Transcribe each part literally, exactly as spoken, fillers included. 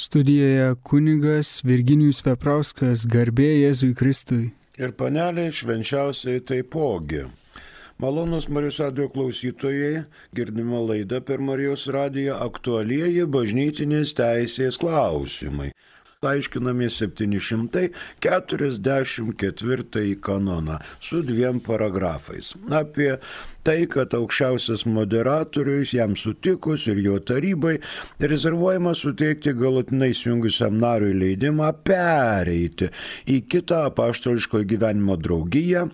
Studijoje kunigas Virginijus Veprauskas, garbė Jėzui Kristui. Ir paneliai švenčiausiai taipogi. Malonus Marijos radijo klausytojai, girdime laidą per Marijos radiją aktualieji bažnytinės teisės klausimai. Aiškiname septyni šimtai keturiasdešimt ketvirtąjį kanoną su dviem paragrafais. Apie tai, kad aukščiausias moderatorius jam sutikus ir jo tarybai rezervuojama suteikti galutinai įsijungusiam nariui leidimą pereiti į kitą apaštališko gyvenimo draugiją,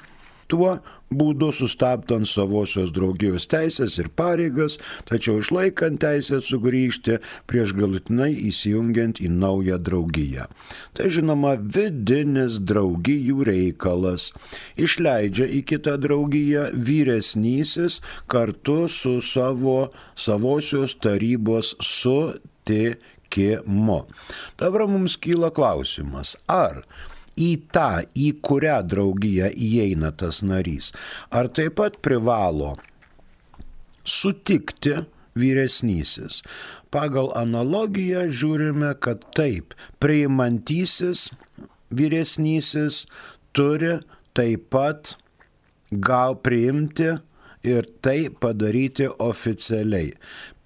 tuo būdu sustabdant savosios draugijos teisės ir pareigas, tačiau išlaikant teisę sugrįžti prieš galutinai įsijungiant į naują draugiją. Tai žinoma vidinis draugijų reikalas. Išleidžia į kitą draugiją vyresnysis kartu su savo savosios tarybos sutikimu. Dabar mums kyla klausimas, ar į tą, į kurią draugiją įeina tas narys, ar taip pat privalo sutikti vyresnysis. Pagal analogiją žiūrime, kad taip, priimantysis vyresnysis turi taip pat gal priimti ir tai padaryti oficialiai.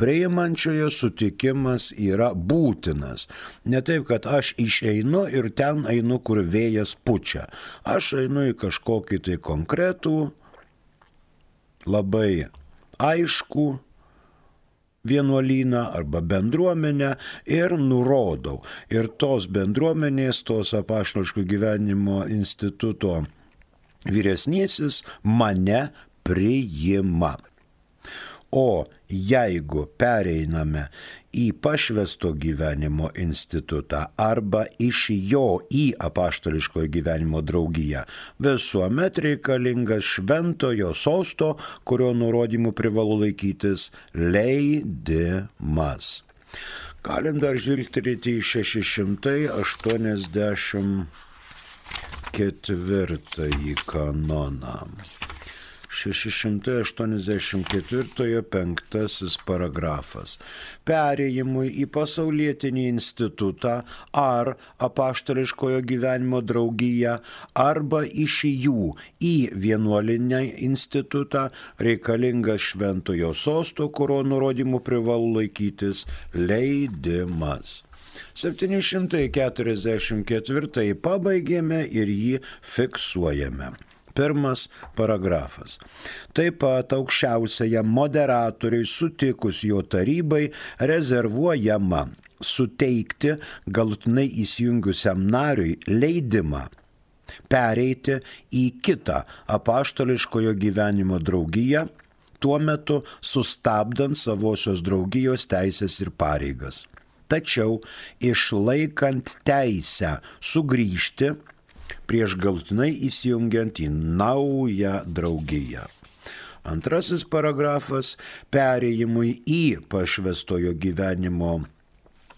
Priimančiojo sutikimas yra būtinas. Ne taip, kad aš išeinu ir ten einu, kur vėjas pučia. Aš einu į kažkokį tai konkretų, labai aišku vienuolyną arba bendruomenę ir nurodau. Ir tos bendruomenės, tos apaštališko gyvenimo instituto vyresnysis mane priima. O jeigu pereiname į pašvęsto gyvenimo institutą arba iš jo į apaštališkojo gyvenimo draugiją, visuomet reikalingas šventojo sosto, kurio nurodymų privalu laikytis, leidimas. Galim dar žvilgterėti į šeši šimtai aštuoniasdešimt ketvirtąjį kanoną. šeši šimtai aštuoniasdešimt ketvirtojo penktasis paragrafas. Perėjimui į pasaulietinį institutą ar apaštališkojo gyvenimo draugiją arba iš jų į vienuolinę institutą reikalingas šventojo sosto, kurio nurodymų privalu laikytis, leidimas. septyni šimtai keturiasdešimt ketvirtąjį pabaigėme ir jį fiksuojame. Pirmas paragrafas. Taip pat aukščiausiajam moderatoriui sutikus jo tarybai rezervuojama suteikti galutinai įsijungusiam nariui leidimą pereiti į kitą apaštališkojo gyvenimo draugiją, tuo metu sustabdant savosios draugijos teisės ir pareigas. Tačiau išlaikant teisę sugrįžti prieš galutinai įsijungiant į naują draugiją. Antrasis paragrafas. Perėjimui į pašvęstojo gyvenimo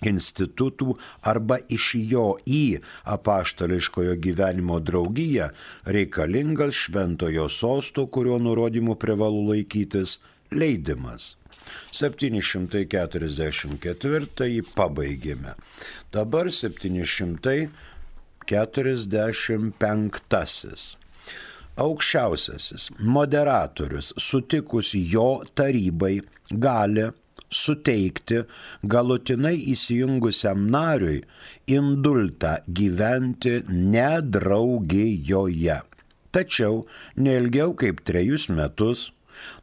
institutų arba iš jo į apaštališkojo gyvenimo draugiją reikalingas šventojo sosto, kurio nurodymų privalu laikytis, leidimas. septyni šimtai keturiasdešimt ketvirtąjį pabaigėme. Dabar septyni šimtai keturiasdešimt penktasis. Aukščiausiasis moderatorius sutikus jo tarybai gali suteikti galutinai įsijungusiam nariui indultą gyventi nedraugijoje. Tačiau neilgiau kaip trejus metus,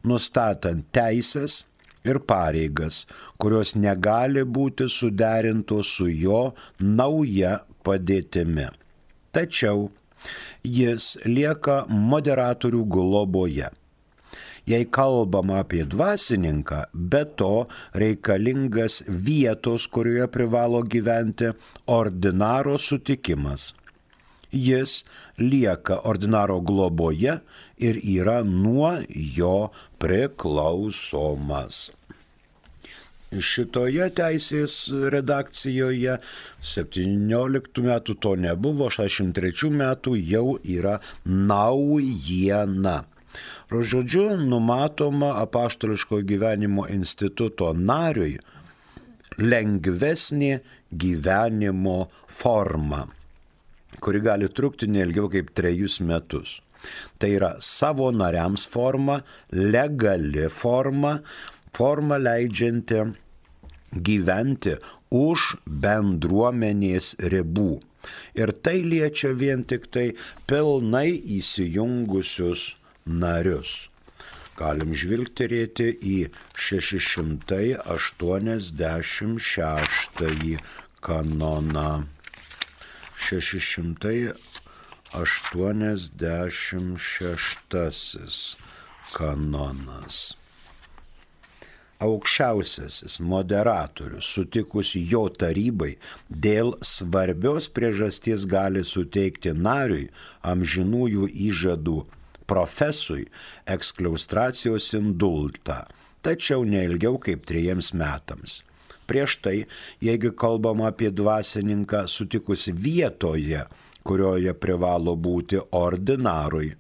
nustatant teisės ir pareigas, kurios negali būti suderintos su jo nauja padėtimi. Tačiau jis lieka moderatorių globoje. Jei kalbama apie dvasininką, be to reikalingas vietos, kurioje privalo gyventi ordinaro sutikimas. Jis lieka ordinaro globoje ir yra nuo jo priklausomas. Šitoje teisės redakcijoje septynioliktų metų to nebuvo, šešiasdešimt trečių metų jau yra naujiena. Žodžiu, numatoma apaštališko gyvenimo instituto nariui lengvesnė gyvenimo forma, kuri gali trukti neilgiau kaip trejus metus. Tai yra savo nariams forma, legali forma, forma leidžianti gyventi už bendruomenės ribų. Ir tai liečia vien tik tai pilnai įsijungusius narius. Galim žvilgterėti į šeši šimtai aštuoniasdešimt šeštąjį kanoną. šeši šimtai aštuoniasdešimt šeštasis kanonas. Aukščiausiasis moderatorius sutikus jo tarybai dėl svarbios priežasties gali suteikti nariui amžinųjų įžadų profesui ekskliaustracijos indultą, tačiau neilgiau kaip trejiems metams. Prieš tai, jeigu kalbama apie dvasininką sutikus vietoje, kurioje privalo būti ordinarui,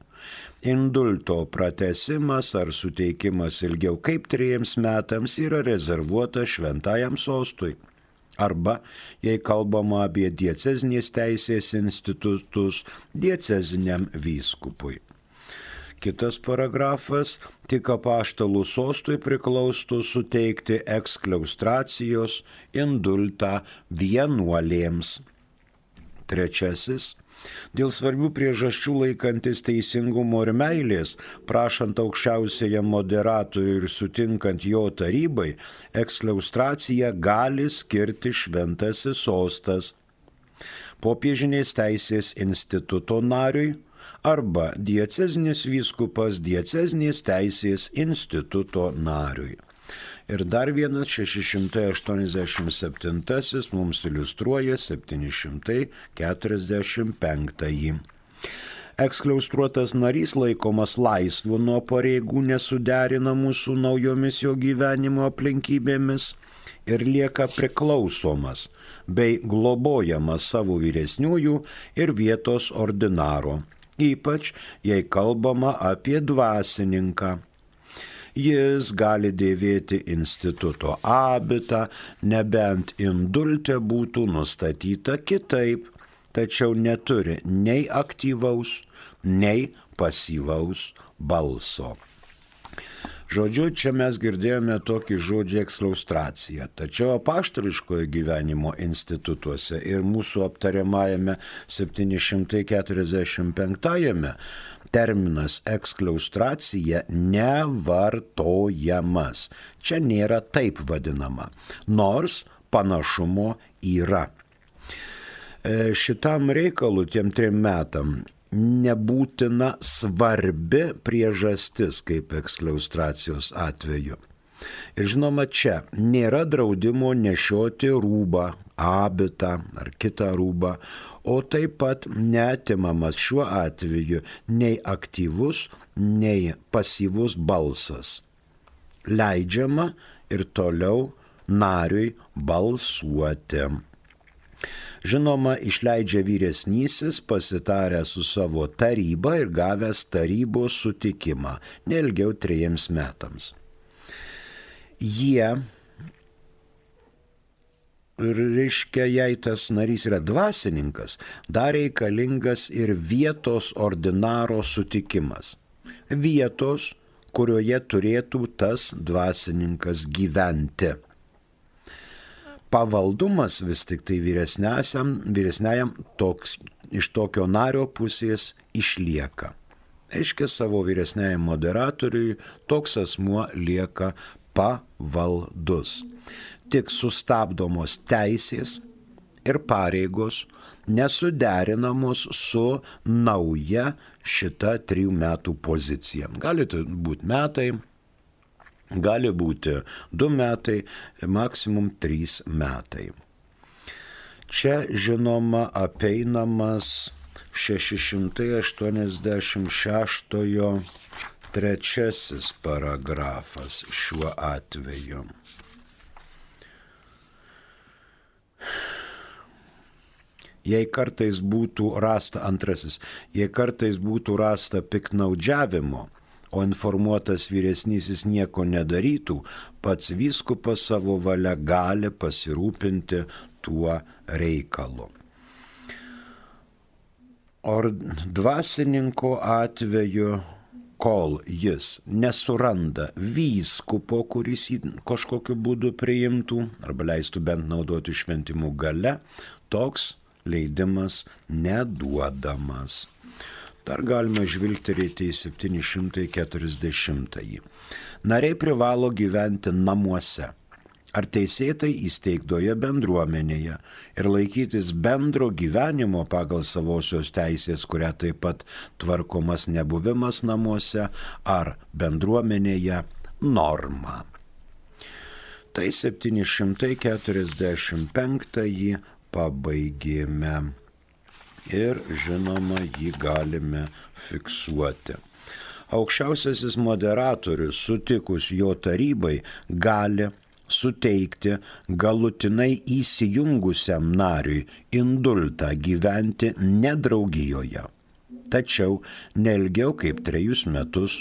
indulto pratesimas ar suteikimas ilgiau kaip trejiems metams yra rezervuota šventajam sostui. Arba, jei kalbama apie diecezinės teisės institutus, dieceziniam vyskupui. Kitas paragrafas, tik apaštalų sostui priklaustų suteikti ekskliaustracijos indultą vienuolėms. Trečiasis, dėl svarbių priežasčių laikantis teisingumo ir meilės, prašant aukščiausiajam moderatoriui ir sutinkant jo tarybai, ekskliaustraciją gali skirti šventasis sostas, popiežinės teisės instituto nariui arba diecezinis vyskupas diecezinės teisės instituto nariui. Ir dar vienas šeši šimtai aštuoniasdešimt septintasis mums iliustruoja septyni šimtai keturiasdešimt penktąjį. Ekskliaustruotas narys laikomas laisvu nuo pareigų nesuderinamų su naujomis jo gyvenimo aplinkybėmis ir lieka priklausomas bei globojamas savo vyresniųjų ir vietos ordinaro, ypač jei kalbama apie dvasininką. Jis gali dėvėti instituto abitą, nebent indulte būtų nustatyta kitaip, tačiau neturi nei aktyvaus, nei pasyvaus balso. Žodžiu, čia mes girdėjome tokį žodžią ekskliaustracija, tačiau apaštališkojo gyvenimo institutuose ir mūsų aptariamajame septyni šimtai keturiasdešimt penktajame terminas ekskliaustracija nevartojamas. Čia nėra taip vadinama, nors panašumo yra. Šitam reikalui tiem trim metam nebūtina svarbi priežastis kaip ekskliaustracijos atveju. Ir žinoma, čia nėra draudimo nešioti rūbą, abitą ar kitą rūbą, o taip pat neatimamas šiuo atveju nei aktyvus, nei pasyvus balsas. Leidžiama ir toliau nariui balsuoti. Žinoma, išleidžia vyresnysis pasitaręs su savo taryba ir gavęs tarybos sutikimą, neilgiau trejiems metams. Jie, reiškia, jei tas narys yra dvasininkas, dar reikalingas ir vietos ordinaro sutikimas. Vietos, kurioje turėtų tas dvasininkas gyventi. Pavaldumas vis tik tai vyresniajam toks, iš tokio nario pusės išlieka. Reiškia, savo vyresniajam moderatoriui toks asmuo lieka pavaldus. Tik sustabdomos teisės ir pareigos nesuderinamos su nauja šita trijų metų pozicija. Gali būti metai, gali būti du metai, maksimum trys metai. Čia, žinoma, apeinamas šeši šimtai aštuoniasdešimt šeštojo trečiasis paragrafas šiuo atveju. Jei kartais būtų rasta, antrasis, jei kartais būtų rasta piktnaudžiavimo o informuotas vyresnysis nieko nedarytų, pats vyskupas savo valia gali pasirūpinti tuo reikalu. O dvasininko atveju, kol jis nesuranda vyskupo, kuris jį kažkokiu būdu priimtų arba leistų bent naudoti šventimų gale, toks leidimas neduodamas. Dar galima žvilgterėti į septyni šimtai keturiasdešimtąjį. Nariai privalo gyventi namuose ar teisėtai įsteigtoje bendruomenėje ir laikytis bendro gyvenimo pagal savosios teisės, kuria taip pat tvarkomas nebuvimas namuose ar bendruomenėje norma. Tai septyni šimtai keturiasdešimt penktąjį pabaigėme. Ir žinoma, jį galime fiksuoti. Aukščiausiasis moderatorius sutikus jo tarybai gali suteikti galutinai įsijungusiam nariui indultą gyventi ne draugijoje, tačiau neilgiau kaip trejus metus,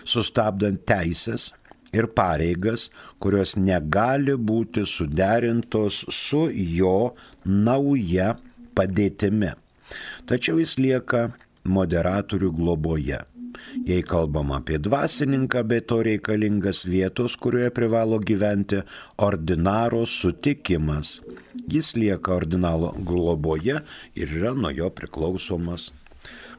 sustabdant teisės ir pareigas, kurios negali būti suderintos su jo nauja padėtimi. Tačiau jis lieka moderatorių globoje. Jei kalbam apie dvasininką, be to reikalingas vietos, kurioje privalo gyventi ordinaro sutikimas. Jis lieka ordinaro globoje ir yra nuo jo priklausomas.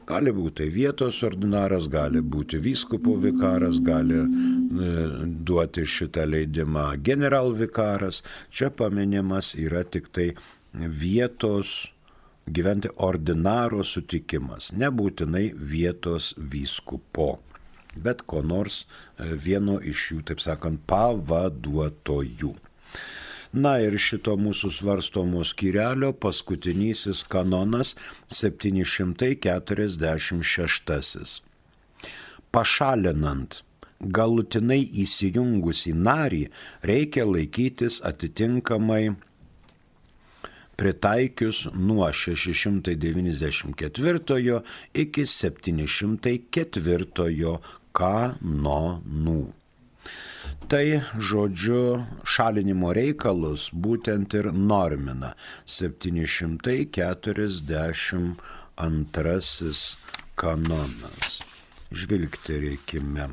Gali būti vietos ordinaras, gali būti vyskupo vikaras, gali e, duoti šitą leidimą generalvikaras. Čia paminimas yra tik tai vietos gyventi ordinaro sutikimas, nebūtinai vietos vyskupo, bet ko nors vieno iš jų, taip sakant, pavaduotojų. Na ir šito mūsų svarstomo skyrelio paskutinysis kanonas septyni šimtai keturiasdešimt šeštasis. Pašalinant galutinai įsijungusį narį reikia laikytis atitinkamai pritaikius nuo šeši šimtai devyniasdešimt ketvirtojo iki septyni šimtai ketvirtojo kanonų. Tai, žodžiu, šalinimo reikalus būtent ir normina septyni šimtai keturiasdešimt antrasis kanonas. Žvilgterėkime.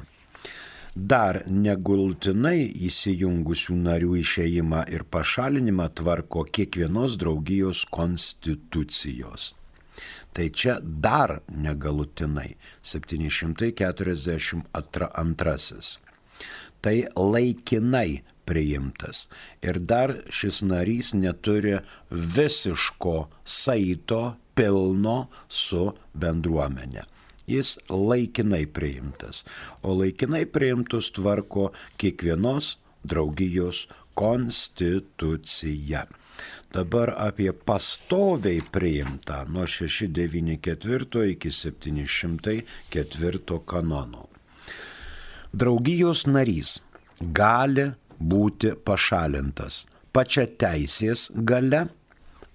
Dar negultinai įsijungusių narių išėjimą ir pašalinimą tvarko kiekvienos draugijos konstitucijos. Tai čia dar negalutinai septyni šimtai keturiasdešimt antrasis. Tai laikinai priimtas ir dar šis narys neturi visiško saito pilno su bendruomenė. Jis laikinai priimtas, o laikinai priimtus tvarko kiekvienos draugijos konstitucija. Dabar apie pastoviai priimtą nuo šeši šimtai devyniasdešimt ketvirto iki septyni šimtai ketvirto kanono. Draugijos narys gali būti pašalintas pačia teisės gale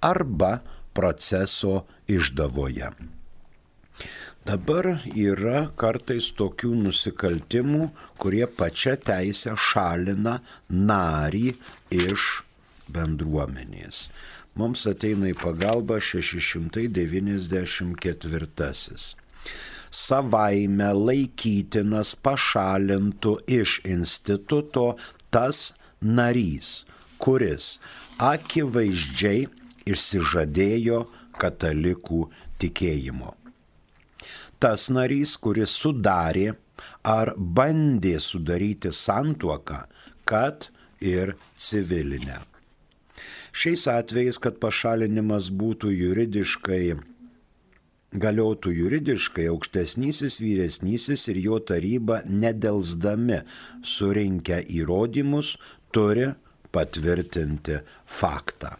arba proceso išdavoje. Dabar yra kartais tokių nusikaltimų, kurie pačia teisė šalina narį iš bendruomenės. Mums ateina į pagalbą šeši šimtai devyniasdešimt ketvirtasis. Savaime laikytinas pašalintų iš instituto tas narys, kuris akivaizdžiai išsižadėjo katalikų tikėjimo. Tas narys, kuris sudarė ar bandė sudaryti santuoką, kad ir civilinę. Šiais atvejais, kad pašalinimas būtų juridiškai, galiotų juridiškai, aukštesnysis, vyresnysis ir jo taryba nedelsdami surinkę įrodymus turi patvirtinti faktą.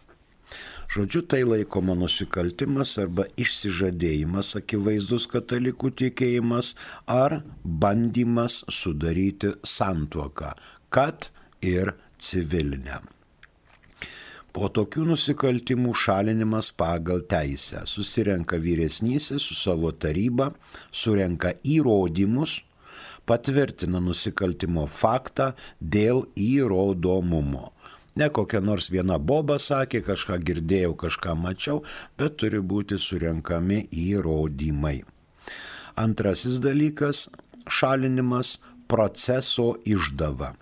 Žodžiu, tai laikoma nusikaltimas arba išsižadėjimas akivaizdus katalikų tikėjimas ar bandymas sudaryti santuoką, kad ir civilinę. Po tokių nusikaltimų šalinimas pagal teisę. Susirenka vyresnysis su savo taryba, surenka įrodymus, patvirtina nusikaltimo faktą dėl įrodomumo. Ne kokia nors viena boba sakė, kažką girdėjau, kažką mačiau, bet turi būti surenkami įrodymai. Antrasis dalykas – šalinimas proceso išdava.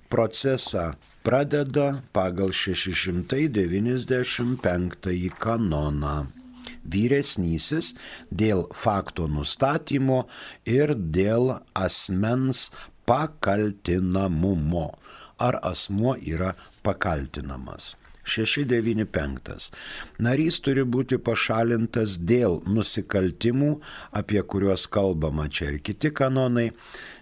Procesą pradeda pagal šeši šimtai devyniasdešimt penktąjį kanoną. Vyresnysis dėl fakto nustatymo ir dėl asmens pakaltinamumo. Ar asmuo yra pakaltinamas. šeši devyni penktas. Narys turi būti pašalintas dėl nusikaltimų, apie kuriuos kalbama čia ir kiti kanonai,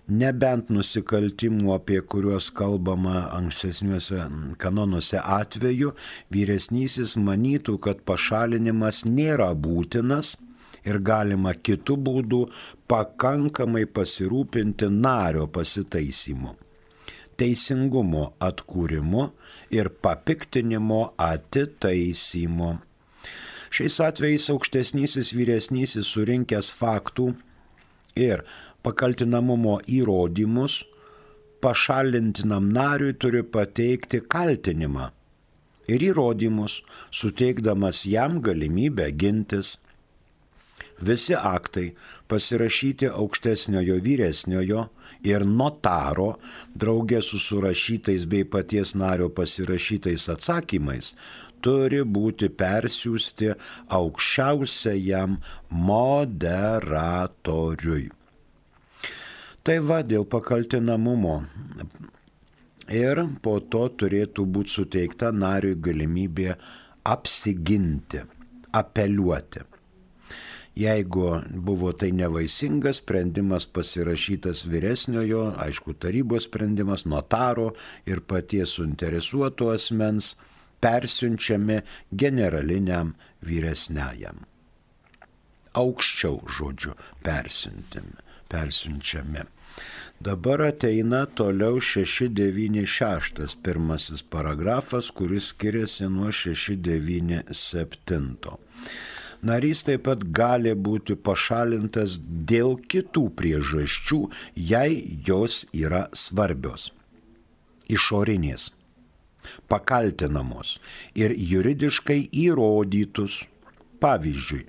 nebent nusikaltimų, apie kuriuos kalbama ankstesniuose kanonuose atveju, vyresnysis manytų, kad pašalinimas nėra būtinas ir galima kitų būdų pakankamai pasirūpinti nario pasitaisymu, teisingumo atkūrimu ir papiktinimo atitaisymu. Šiais atvejais aukštesnysis vyresnysis surinkęs faktų ir pakaltinamumo įrodymus pašalintinam nariui turi pateikti kaltinimą ir įrodymus, suteikdamas jam galimybę gintis. Visi aktai pasirašyti aukštesniojo vyresniojo ir notaro draugė su surašytais bei paties nario pasirašytais atsakymais turi būti persiųsti aukščiausiajam moderatoriui. Tai va dėl pakaltinamumo. Ir po to turėtų būti suteikta nariui galimybė apsiginti, apeliuoti. Jeigu buvo tai nevaisingas sprendimas pasirašytas vyresniojo, aišku, tarybos sprendimas, notaro ir paties suinteresuoto asmens, persiunčiami generaliniam vyresniajam. Aukščiau, žodžiu, persiuntimi. persiunčiami. Dabar ateina toliau šeši devyni šeštas pirmasis paragrafas, kuris skiriasi nuo šeši devyni septinto. Narys taip pat gali būti pašalintas dėl kitų priežasčių, jei jos yra svarbios, išorinės, pakaltinamos ir juridiškai įrodytus. Pavyzdžiui,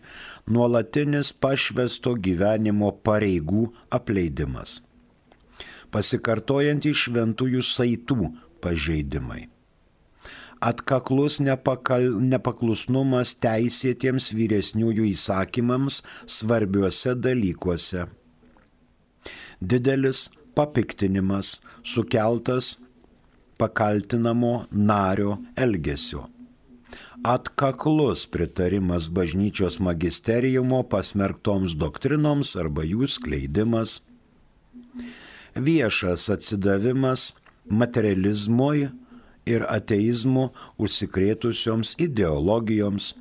nuolatinis pašvęsto gyvenimo pareigų apleidimas, pasikartojantys šventųjų saitų pažeidimai, atkaklus nepakal, nepaklusnumas teisėtiems vyresniųjų įsakymams svarbiuose dalykuose, didelis papiktinimas sukeltas pakaltinamo nario elgesio, atkaklus pritarimas bažnyčios magisteriumo pasmerktoms doktrinoms arba jų skleidimas, viešas atsidavimas materializmui ir ateizmu užsikrėtusioms ideologijoms,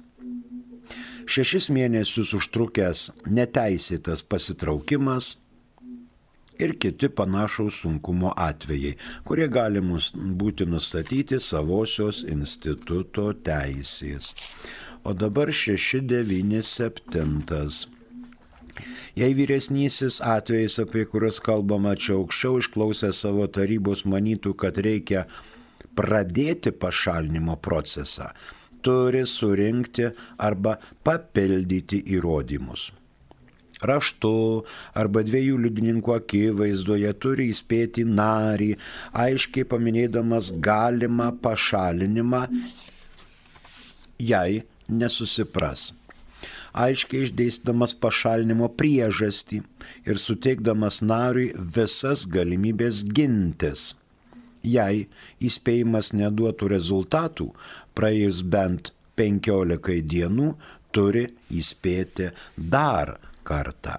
šešis mėnesius užtrukęs neteisėtas pasitraukimas ir kiti panašaus sunkumo atvejai, kurie gali būti nustatyti savosios instituto teisės. O dabar šeši devyni septintas. Jei vyresnysis atvejais, apie kuriuos kalbama čia aukščiau, išklausę savo tarybos manytų, kad reikia pradėti pašalinimo procesą, turi surinkti arba papildyti įrodymus. Raštu arba dviejų liudininkų akivaizdoje turi įspėti narį, aiškiai paminėdamas galimą pašalinimą, jei nesusipras. Aiškiai išdėstydamas pašalinimo priežastį ir suteikdamas nariui visas galimybės gintis. Jei įspėjimas neduotų rezultatų, praėjus bent penkiolikai dienų turi įspėti dar kartą.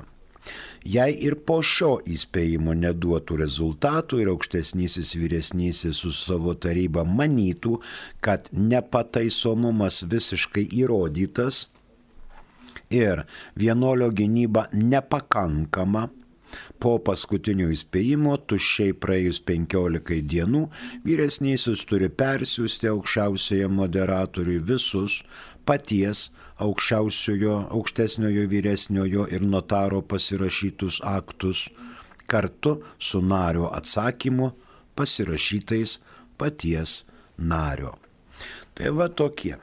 Jei ir po šio įspėjimo neduotų rezultatų ir aukštesnysis vyresnysis su savo taryba manytų, kad nepataisomumas visiškai įrodytas ir vienuolio gynyba nepakankama, po paskutinio įspėjimo tuščiai praėjus penkiolikai dienų vyresnysis turi persiųsti aukščiausiojo moderatoriui visus paties aukščiausiojo, aukštesniojo vyresniojo ir notaro pasirašytus aktus, kartu su nario atsakymu pasirašytais paties nario. Tai va tokie.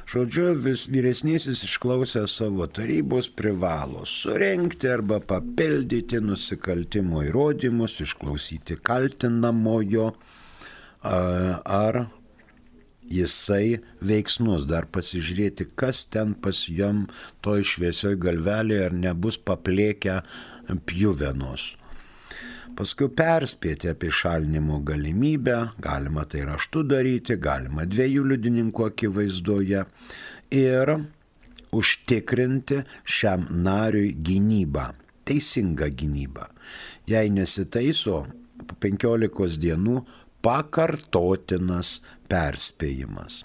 Žodžiu, vis vyresnysis išklausęs savo tarybos privalo surenkti arba papildyti nusikaltimo įrodymus, išklausyti kaltinamojo, ar jisai veiksnus, dar pasižiūrėti, kas ten pas jam toj šviesioj galvelėje, ar nebus paplėkę pjuvenos. Paskui perspėti apie šalinimo galimybę, galima tai raštu daryti, galima dviejų liudininkų akivaizdoje ir užtikrinti šiam nariui gynybą, teisingą gynybą. Jei nesitaiso, po penkiolikos dienų pakartotinas perspėjimas.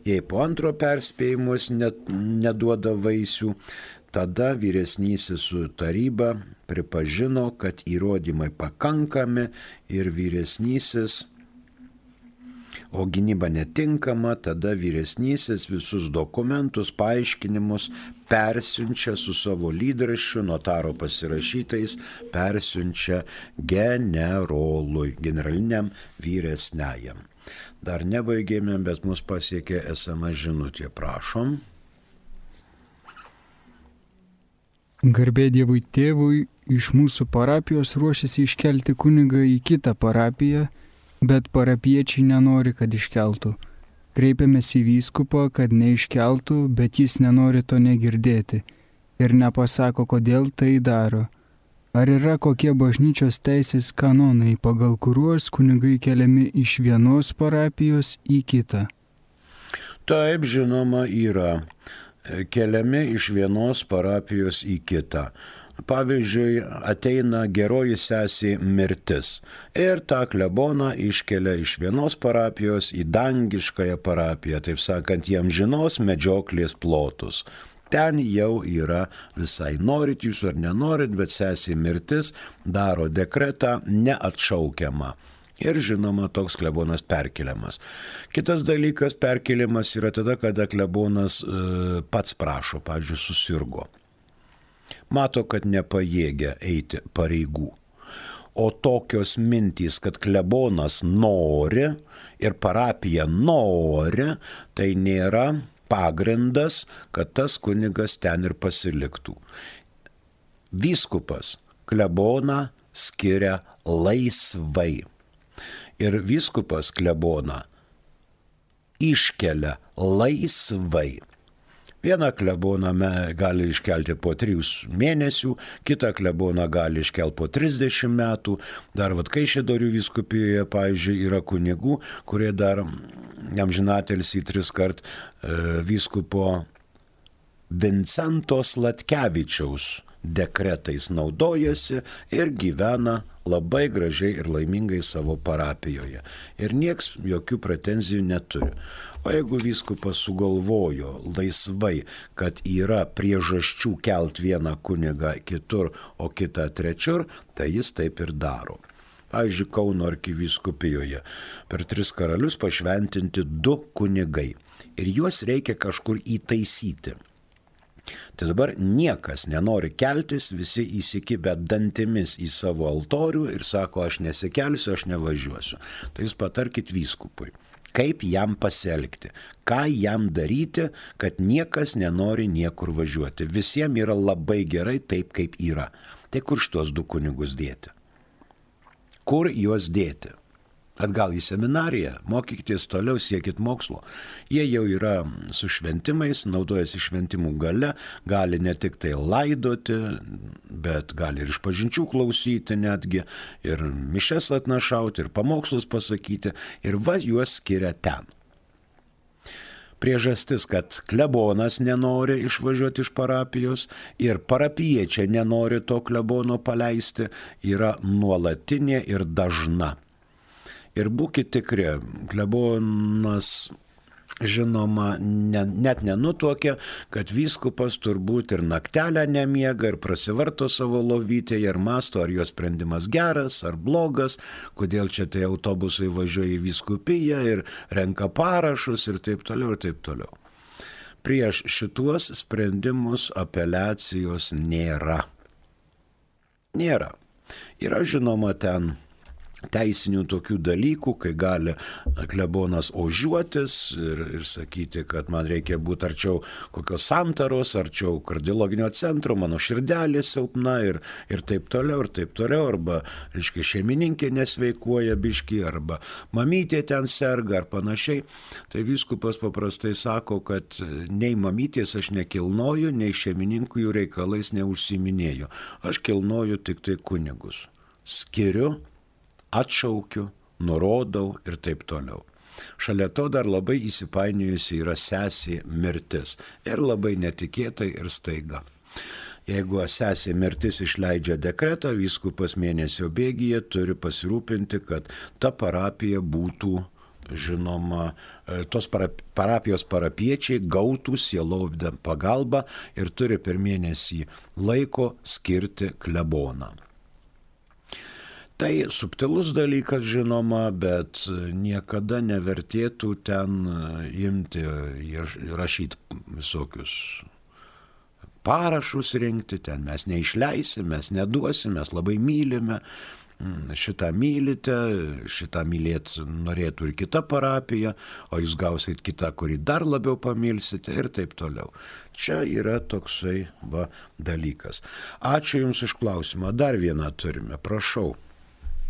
Jei po antro perspėjimus net neduoda vaisių, tada vyresnysis su taryba pripažino, kad įrodymai pakankami ir vyresnysis, o gynyba netinkama, tada vyresnysis visus dokumentus, paaiškinimus persiunčia su savo lydraščiu, notaro pasirašytais, persiunčia generolui, generaliniam vyresniajam. Dar nebaigėme, bet mus pasiekė es em es žinutė, prašom. Garbė Dievui tėvui, iš mūsų parapijos ruošiasi iškelti kunigą į kitą parapiją, bet parapiečiai nenori, kad iškeltų. Kreipiamės į vyskupą, kad neiškeltų, bet jis nenori to negirdėti ir nepasako, kodėl tai daro. Ar yra kokie bažnyčios teisės kanonai, pagal kuriuos kunigai keliami iš vienos parapijos į kitą? Taip, žinoma, yra. Keliami iš vienos parapijos į kitą. Pavyzdžiui, ateina geroji sesė mirtis ir tą kleboną iškelia iš vienos parapijos į dangiškąją parapiją, taip sakant, jam žinos medžioklės plotus. Ten jau yra visai, norit jūs ar nenorit, bet sesė mirtis daro dekretą neatšaukiamą. Ir žinoma, toks klebonas perkeliamas. Kitas dalykas, perkeliamas yra tada, kada klebonas e, pats prašo, pavyzdžiui, susirgo. Mato, kad nepajėgia eiti pareigų. O tokios mintys, kad klebonas nori ir parapija nori, tai nėra pagrindas, kad tas kunigas ten ir pasiliktų. Vyskupas kleboną skiria laisvai. Ir vyskupas kleboną iškelia laisvai. Vieną kleboną gali iškelti po trijų mėnesių, kitą kleboną gali iškelti po trisdešimt metų. Dar vat Kaišiadorių vyskupijoje, pavyzdžiui, yra kunigų, kurie dar amžinatelis į tris kart e, vyskupo Vincento Sladkevičiaus dekretais naudojasi ir gyvena labai gražiai ir laimingai savo parapijoje. Ir nieks jokių pretenzijų neturi. O jeigu vyskupas sugalvojo laisvai, kad yra priežasčių kelt vieną kunigą kitur, o kitą trečiur, tai jis taip ir daro. Pavyzdžiui, Kauno arkivyskupijoje per tris karalius pašventinti du kunigai. Ir juos reikia kažkur įtaisyti. Tai dabar niekas nenori keltis, visi įsikibę dantimis į savo altorių ir sako, aš nesikelsiu, aš nevažiuosiu. Tai jūs patarkit vyskupui, kaip jam pasielgti, ką jam daryti, kad niekas nenori niekur važiuoti. Visiems yra labai gerai taip, kaip yra. Tai kur šitos du kunigus dėti? Kur juos dėti? Atgal į seminariją, mokykitės toliau, siekit mokslo. Jie jau yra su šventimais, naudojasi šventimų gale, gali ne tik tai laidoti, bet gali ir išpažinčių klausyti netgi, ir mišes atnašauti, ir pamokslus pasakyti, ir va juos skiria ten. Priežastis, kad klebonas nenori išvažiuoti iš parapijos ir parapiečiai nenori to klebono paleisti, yra nuolatinė ir dažna. Ir būkit tikri, klebonas, žinoma, ne, net nenutuokia, kad vyskupas turbūt ir naktelę nemiega ir prasivarto savo lovytėje ir masto, ar jo sprendimas geras ar blogas, kodėl čia tai autobusai važiuoja į vyskupiją ir renka parašus ir taip toliau ir taip toliau. Prieš šituos sprendimus apeliacijos nėra. Nėra. Yra žinoma ten teisinių tokių dalykų, kai gali klebonas ožiuotis ir, ir sakyti, kad man reikia būti arčiau kokios santaros, arčiau kardiologinio centro, mano širdelė silpna ir, ir taip toliau, ir taip toliau, arba, reiškia, šeimininkė nesveikuoja biški, arba mamytė ten serga ar panašiai. Tai vyskupas paprastai sako, kad nei mamytės aš nekilnoju, nei šeimininkų jų reikalais neužsiminėju. Aš kilnoju tik tai kunigus. Skiriu, atšaukiu, nurodau ir taip toliau. Šalia to dar labai įsipainiojusi yra sesė mirtis. Ir labai netikėtai ir staiga. Jeigu sesė mirtis išleidžia dekretą, vyskupas mėnesio bėgyje turi pasirūpinti, kad ta parapija būtų, žinoma, tos parapijos parapiečiai gautų sielovdę pagalbą ir turi per mėnesį laiko skirti kleboną. Tai subtilus dalykas, žinoma, bet niekada nevertėtų ten imti, rašyti visokius parašus rinkti, ten mes neišleisim, mes neduosim, mes labai mylime, šitą mylite, šitą mylėt norėtų ir kita parapija, o jūs gausit kitą, kurį dar labiau pamilsite ir taip toliau. Čia yra toksai va, dalykas. Ačiū Jums už klausimą. Dar vieną turime, prašau.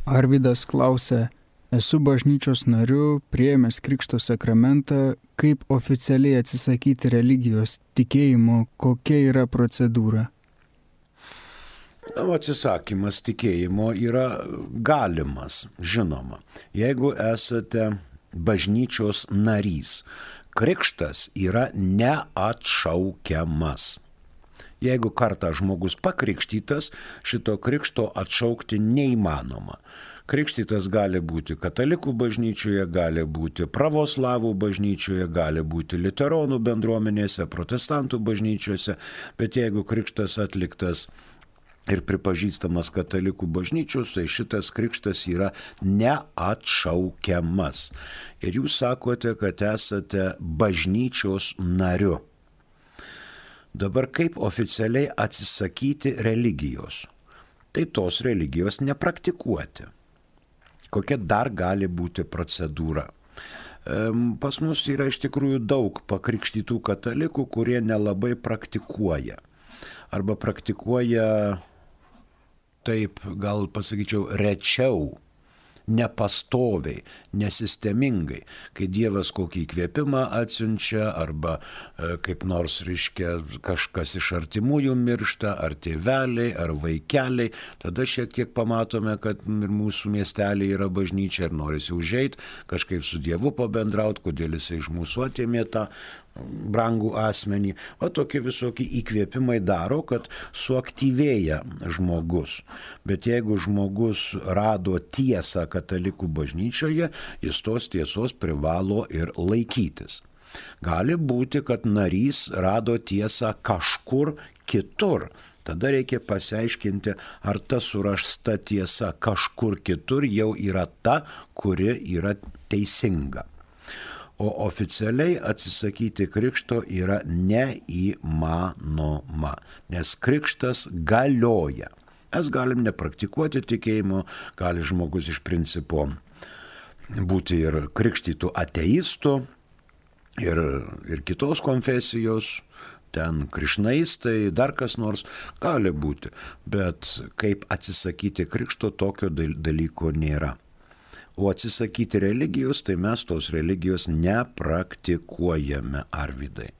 Arvydas klausia, esu bažnyčios nariu, priėmęs krikšto sakramentą, kaip oficialiai atsisakyti religijos tikėjimo, kokia yra procedūra? Na, atsisakymas tikėjimo yra galimas, žinoma. Jeigu esate bažnyčios narys, krikštas yra neatšaukiamas. Jeigu kartą žmogus pakrikštytas, šito krikšto atšaukti neįmanoma. Krikštytas gali būti katalikų bažnyčioje, gali būti pravoslavų bažnyčioje, gali būti liuteronų bendruomenėse, protestantų bažnyčiose, bet jeigu krikštas atliktas ir pripažįstamas katalikų bažnyčios, tai šitas krikštas yra neatšaukiamas. Ir jūs sakote, kad esate bažnyčios nariu. Dabar kaip oficialiai atsisakyti religijos? Tai tos religijos nepraktikuoti. Kokia dar gali būti procedūra? Pas mus yra iš tikrųjų daug pakrikštytų katalikų, kurie nelabai praktikuoja. Arba praktikuoja, taip gal pasakyčiau, rečiau, nepastoviai, nesistemingai, kai Dievas kokį įkvėpimą atsiunčia arba e, kaip nors, reiškia, kažkas iš artimųjų miršta, ar tėveliai, ar vaikeliai, tada šiek tiek pamatome, kad ir mūsų miestelė yra bažnyčia ir norisi užeit, kažkaip su Dievu pabendrauti, kodėl jisai iš mūsų atėmė tą brangų asmenį. O tokie visokie įkvėpimai daro, kad suaktyvėja žmogus. Bet jeigu žmogus rado tiesą katalikų bažnyčioje, jis tos tiesos privalo ir laikytis. Gali būti, kad narys rado tiesą kažkur kitur. Tada reikia pasiaiškinti, ar ta surasta tiesa kažkur kitur jau yra ta, kuri yra teisinga. O oficialiai atsisakyti krikšto yra neįmanoma, nes krikštas galioja. Mes galim nepraktikuoti tikėjimo, gali žmogus iš principo būti ir krikštytų ateistų, ir, ir kitos konfesijos, ten krišnaistai, dar kas nors gali būti, bet kaip atsisakyti krikšto, tokio dalyko nėra. O atsisakyti religijos, tai mes tos religijos nepraktikuojame, Arvydai.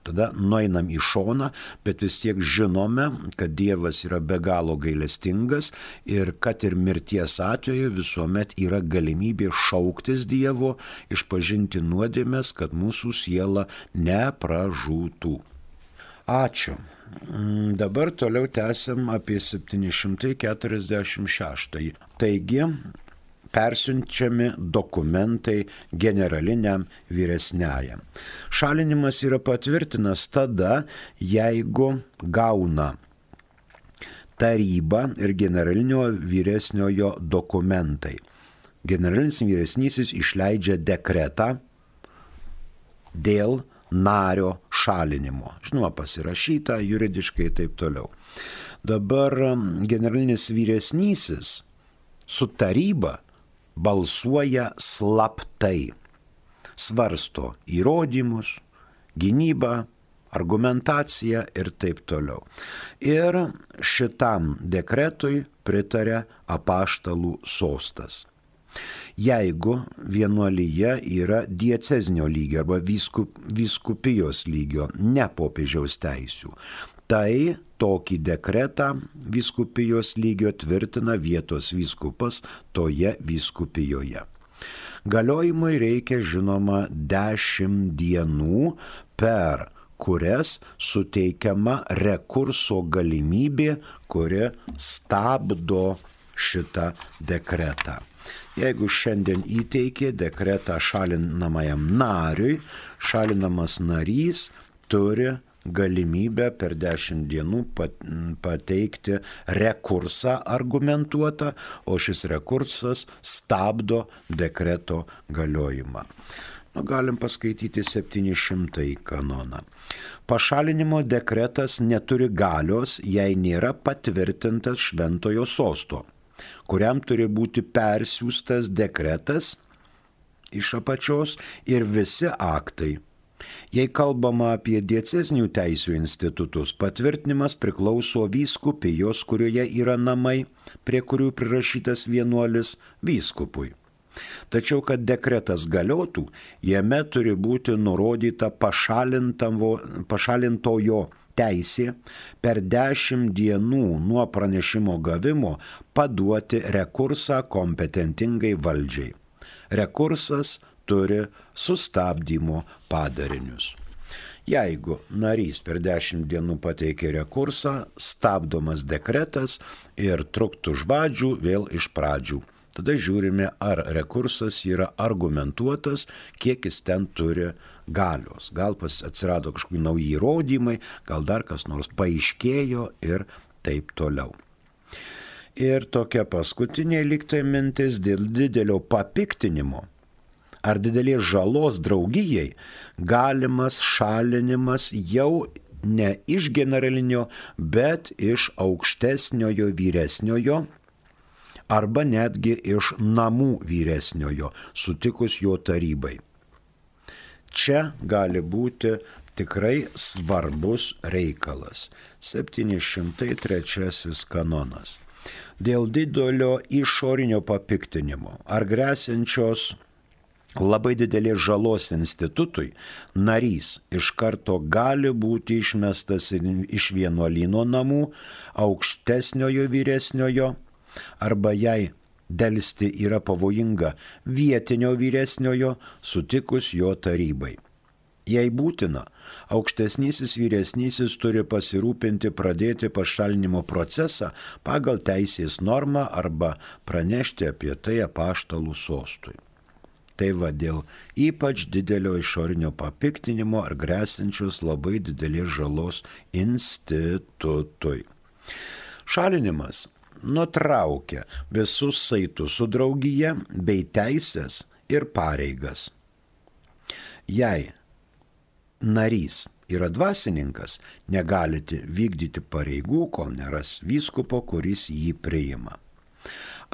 Tada nueinam į šoną, bet vis tiek žinome, kad Dievas yra be galo gailestingas ir kad ir mirties atveju visuomet yra galimybė šauktis Dievo, išpažinti nuodėmes, kad mūsų siela nepražūtų. Ačiū. Dabar toliau tęsiam apie septyni šimtai keturiasdešimt šeštąjį. Taigi, persiunčiami dokumentai generaliniam vyresniajam. Šalinimas yra patvirtinas tada, jeigu gauna taryba ir generalinio vyresniojo dokumentai. Generalinis vyresnysis išleidžia dekretą dėl nario šalinimo. Žinoma, pasirašyta juridiškai ir taip toliau. Dabar generalinis vyresnysis su taryba balsuoja slaptai, svarsto įrodymus, gynybą, argumentaciją ir taip toliau. Ir šitam dekretui pritarė apaštalų sostas. Jeigu vienuolyje yra diecezinio lygio arba vyskup, vyskupijos lygio, ne popiežiaus teisių, tai tokį dekretą vyskupijos lygio tvirtina vietos vyskupas toje vyskupijoje. Galiojimui reikia, žinoma, dešimt dienų, per kurias suteikiama rekurso galimybė, kuri stabdo šitą dekretą. Jeigu šiandien įteikė dekretą šalinamajam nariui, šalinamas narys turi galimybę per dešimt dienų pateikti rekursą argumentuotą, o šis rekursas stabdo dekreto galiojimą. Nu, galim paskaityti septyni šimtąjį kanoną. Pašalinimo dekretas neturi galios, jei nėra patvirtintas šventojo sosto, kuriam turi būti persiųstas dekretas iš apačios ir visi aktai. Jei kalbama apie diecezinių teisių institutus, patvirtinimas priklauso vyskupijos, kurioje yra namai, prie kurių prirašytas vienuolis, vyskupui. Tačiau, kad dekretas galiotų, jame turi būti nurodyta pašalintojo teisė per dešimt dienų nuo pranešimo gavimo paduoti rekursą kompetentingai valdžiai. Rekursas turi sustabdymo padarinius. Jeigu narys per dešimt dienų pateikė rekursą, stabdomas dekretas ir truktų žvadžių vėl iš pradžių. Tada žiūrime, ar rekursas yra argumentuotas, kiek jis ten turi galios. Gal atsirado kažkokie nauji įrodymai, gal dar kas nors paaiškėjo ir taip toliau. Ir tokia paskutinė lygtai mintis dėl didelio papiktinimo ar didelės žalos draugijai galimas šalinimas jau ne iš generalinio, bet iš aukštesniojo vyresniojo arba netgi iš namų vyresniojo, sutikus jo tarybai. Čia gali būti tikrai svarbus reikalas. septyni šimtai trečiasis kanonas. Dėl didelio išorinio papiktinimo ar gresiančios labai didelės žalos institutui, narys iš karto gali būti išmestas iš vienuolyno namų, aukštesniojo vyresniojo, arba jei delsti yra pavojinga vietinio vyresniojo, sutikus jo tarybai. Jei būtina, aukštesnysis vyresnysis turi pasirūpinti pradėti pašalinimo procesą pagal teisės normą arba pranešti apie tai apaštalų sostui. Tai va dėl ypač didelio išorinio papiktinimo ar gresiančios labai didelės žalos institutui. Šalinimas nutraukia visus saitus su draugija bei teisės ir pareigas. Jei narys yra dvasininkas, negalite vykdyti pareigų, kol neras vyskupo, kuris jį priima.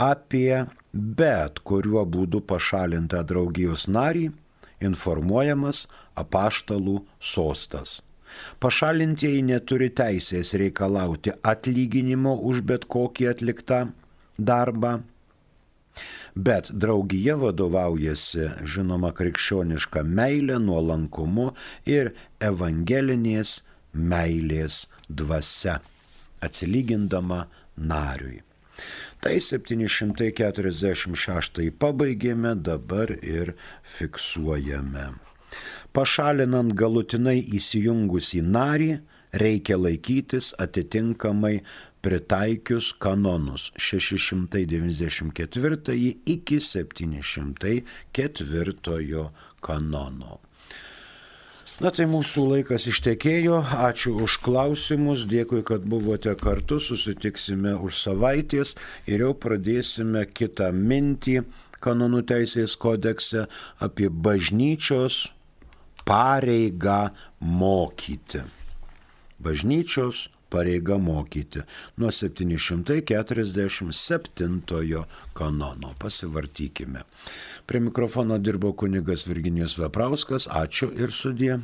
Apie bet kuriuo būdu pašalintą draugijos narį informuojamas apaštalų sostas. Pašalintieji neturi teisės reikalauti atlyginimo už bet kokį atliktą darbą, bet draugija vadovaujasi, žinoma, krikščioniška meilė, nuolankumu ir evangelinės meilės dvasia, atsilygindama nariui. Tai septyni šimtai keturiasdešimt šeštąjį pabaigėme, dabar ir fiksuojame. Pašalinant galutinai įsijungus į narį, reikia laikytis atitinkamai pritaikius kanonus šeši šimtai devyniasdešimt ketvirtąjį iki septyni šimtai ketvirtojo kanono. Na tai mūsų laikas ištekėjo, ačiū už klausimus, dėkui, kad buvote kartu, susitiksime už savaitės ir jau pradėsime kitą mintį kanonų teisės kodekse apie bažnyčios pareigą mokyti. Bažnyčios pareiga mokyti nuo septyni šimtai keturiasdešimt septintojo kanono. Pasivartykime. Prie mikrofono dirbo kunigas Virginijus Veprauskas. Ačiū ir sudie.